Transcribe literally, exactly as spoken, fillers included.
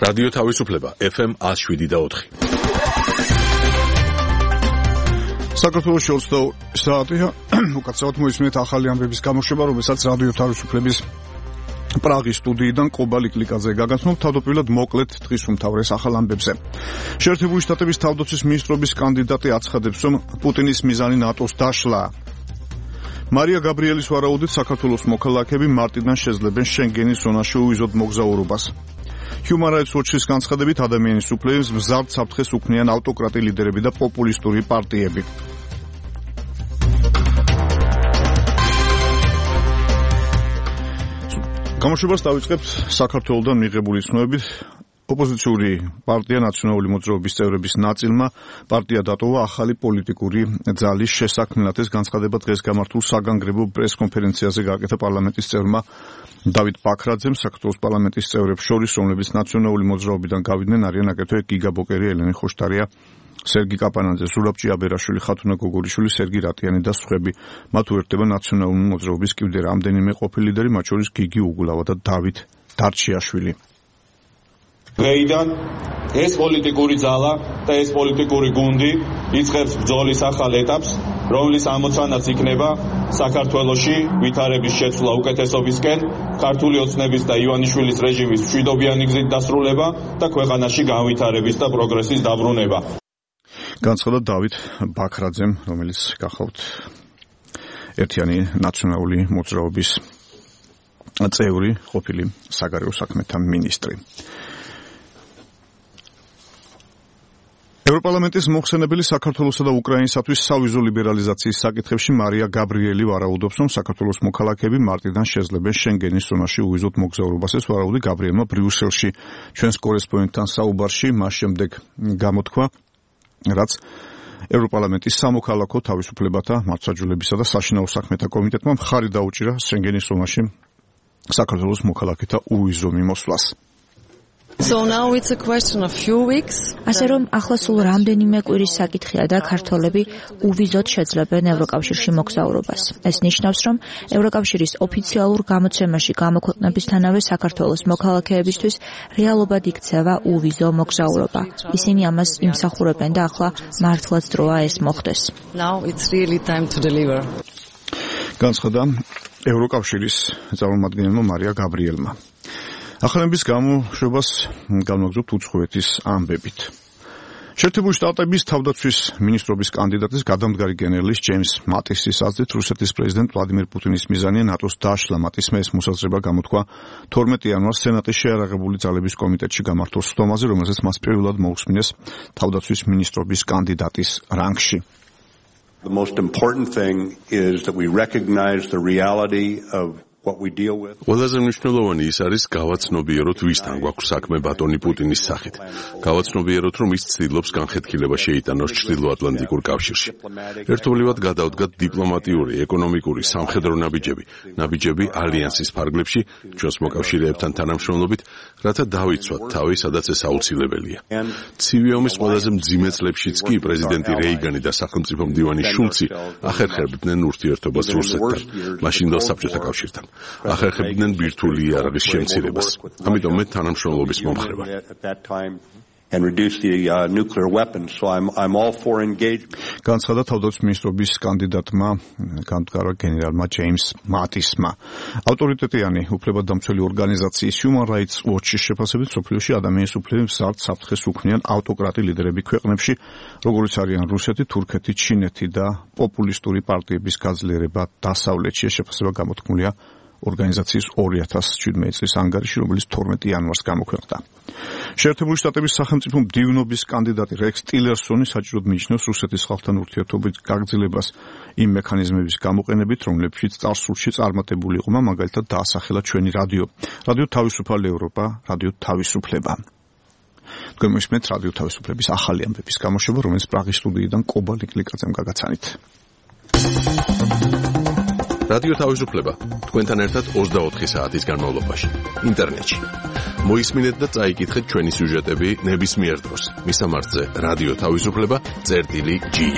რადიო თავისუფლება ეფ ემ one oh seven და four. საქართველოს ოცდაორი საათია უკაცრავად მოისმენთ ახალი ამბების გამოშვება, რომელსაც რადიო თავისუფლების პრაღის სტუდიიდან ყობა ლიკლიკაძე გაგაცნობთ. თავდაპირველად მოკლედ დღის უმთავრეს ახალ ამბებზე. შეერთებული შტატების თავდაცვის მინისტრობის კანდიდატი აცხადებს, რომ პუტინის მიზანი ნატოს დაშლა. მარია გაბრიელის ვარაუდით საქართველოს მოქალაქეები მარტიდან შეძლებენ შენგენის ზონაში უვიზოდ მოგზაურობას. Human Rights Watch-ის განცხადებით, ადამიანის უფლებებს მზარდ საფრთხეს უქმნიან ავტოკრატი ლიდერები და პოპულისტური პარტიები. გამოშვებას დავიწყებთ საქართველოსთან მიღებული ცნობებით. ოპოზიციური პარტია ნაციონალური მოძრაობის წევრების ნაწილმა პარტია დატოვა ახალი პოლიტიკური ძალის შესაქმნელად. ეს განცხადება დღეს გამართულ საგანგრევო პრეს-კონფერენციაზე გააკეთა პარლამენტის წევრმა დავით ბაქრაძემ. საქართველოს პარლამენტის წევრებს შორის, რომლებიც ნაციონალური მოძრაობიდან გავიდნენ, არიან აგრეთვე გიგა ბოკერი, ელენე ხოშტარია, სერგი კაპანაძე, ზურაბ ჭიაბერაშვილი, ხათუნა გოგორიშვილი, სერგი რატიანი და სხვები. მათ უერთდება ნაციონალური მოძრაობის კიდევ რამდენიმე ყოფილი ლიდერი, მათ შორის გიგი უგულავა და დავით დარჩიაშვილი. დღეიდან ეს პოლიტიკური ძალა და ეს პოლიტიკური გუნდი იწყებს ბრძოლის ახალ ეტაპს, რომლის ამოცანაც იქნება საქართველოში ვითარების შეცვლა უკეთესობისკენ, ქართული ოცნების და ივანიშვილის რეჟიმის მშვიდობიანი გზით დასრულება და ქვეყანაში განვითარების და პროგრესის დაბრუნება. განცხადა დავით ბაქრაძემ, რომელიც გახავთ ერთიანი ნაციონალური მოძრაობის წევრი, ყოფილი საგარეო საქმეთა მინისტრი. ევროპარლამენტის მოხსენებელი საქართველოსა და უკრაინისათვის სავიზო ლიბერალიზაციის საკითხებში მარია გაბრიელი ვარაუდობს, რომ საქართველოს მოქალაქეები მარტიდან შეძლებენ შენგენის ზონაში უვიზოდ მოგზაურობას. ეს ვარაუდი გაბრიელმა ბრიუსელში ჩვენს კორესპონდენტთან საუბარში მას შემდეგ გამოთქვა, რაც ევროპარლამენტის სამოქალაქო თავისუფლებათა, მართლმსაჯულებისა და საშინაო საქმეთა კომიტეტმა მხარი დაუჭირა შენგენის ზონაში საქართველოს მოქალაქეთა უვიზო მიმოსვლას. So now it's a question of few weeks. ასე რომ ახლა სულ რამდენიმე კვირის საკითხია და ქართველები უვიზოდ შეძლებენ ევროკავშირში მოგზაურობას. ეს ნიშნავს, რომ ევროკავშირის ოფიციალურ გამოცემაში გამოქვეყნებისთანავე საქართველოს მოქალაქეებისთვის რეალობად იქცევა უვიზო მოგზაურობა. ისინი ამას იმსახურებენ და ახლა მართლაც დროა ეს მოხდეს. Now it's really time to deliver. განცხადა ევროკავშირის წარმომადგენელმა მარია გაბრიელმა. ახალების გამოშვებას განვაგრძობთ უცხოეთის ამბებით. შეერთებული შტატების თავდაცვის მინისტრობის კანდიდატის გადამდგარი გენერლის ჯეიმს მატისის აზრით, რუსეთის პრეზიდენტ ვლადიმერ პუტინის მიზანია ნატოს დაშლა. მატისმა ეს მოსაზრება გამოთქვა თორმეტი იანვარს სენატის შეიარაღებული ძალების კომიტეტში გამართულ სხდომაზე, რომელზეც მას პირველად მოусმინეს თავდაცვის მინისტრობის კანდიდატის რანგში. The most important thing is that we recognize the reality of ყველაზე მნიშვნელოვანი ის არის გავაცნობიეროთ, ვისთან გვაქვს საქმე ბატონი პუტინის სახით. გავაცნობიეროთ, რომ ის ცდილობს განხეთქილება შეიტანოს ჩრდილოატლანტიკურ კავშირში. ერთობლივად გადავდგათ დიპლომატიური, ეკონომიკური, სამხედრო ნაბიჯები, ნაბიჯები ალიანსის ფარგლებში, ჩვენს მოკავშირეებთან თანამშრომლობით, რათა დავიცვათ თავი, სადაც ეს აუცილებელია. ცივი ომის ყველაზე მძიმე წლებშიც კი პრეზიდენტი რეიგანი და სახელმწიფო მდივანი შულცი ახერხებდნენ ურთიერთობას რუსეთთან, მაშინდელ საბჭოთა კავშირთან. ახერხებდნენ ბირთვული იარაღის შემცირებას. ამიტომ მე თანამშრომლობის მომხრე ვარ. and reduce the uh, nuclear weapons. So I'm I'm all for engagement. განცხადა თავდაცვის მინისტრობის კანდიდატმა გამდგარა გენერალმა ჯეიმს მატისმა. ავტორიტეტიანი უფლებადამცველი ორგანიზაციის Human Rights Watch-ის შეფასებით სოფლიოში ადამიანის უფლებებს მზარდ საფრთხეს უქმნიან ავტოკრატი ლიდერები ქვეყნებში, როგორიც არიან რუსეთი, თურქეთი, ჩინეთი და პოპულისტური პარტიების გაძლიერება დასავლეთში. შეფასება გამოთქმულია ორგანიზაციის ორი ათას შვიდმეტი წლის ანგარიში, რომელიც თორმეტი იანვარს გამოქვეყნდა. შეერთებული შტატების სახელმწიფო მდივნობის კანდიდატი რექს ტილერსონი საჭიროდ მიიჩნევს რუსეთის ხალხთან ურთიერთობის გაგრძელებას იმ მექანიზმების გამოყენებით, რომლებშიც წარსულში წარმატებული იყო, მაგალითად დაასახელა ჩვენი რადიო, რადიო თავისუფალი ევროპა, რადიო თავისუფლება. თქვენ მოისმენთ რადიო თავისუფლების ახალი ამბების გამოშვება, რომელიც პრაღის სტუდიიდან ყობა ლიკლიკაძემ გაგაცანით. რადიო თავისუფლება თქვენთან ერთად ოცდაოთხი საათის განმავლობაში ინტერნეტში. მოისმინეთ და წაიკითხეთ ჩვენი სიუჟეტები ნებისმიერ დროს. მისამართზე რადიო თავისუფლება წერტილი ჯი.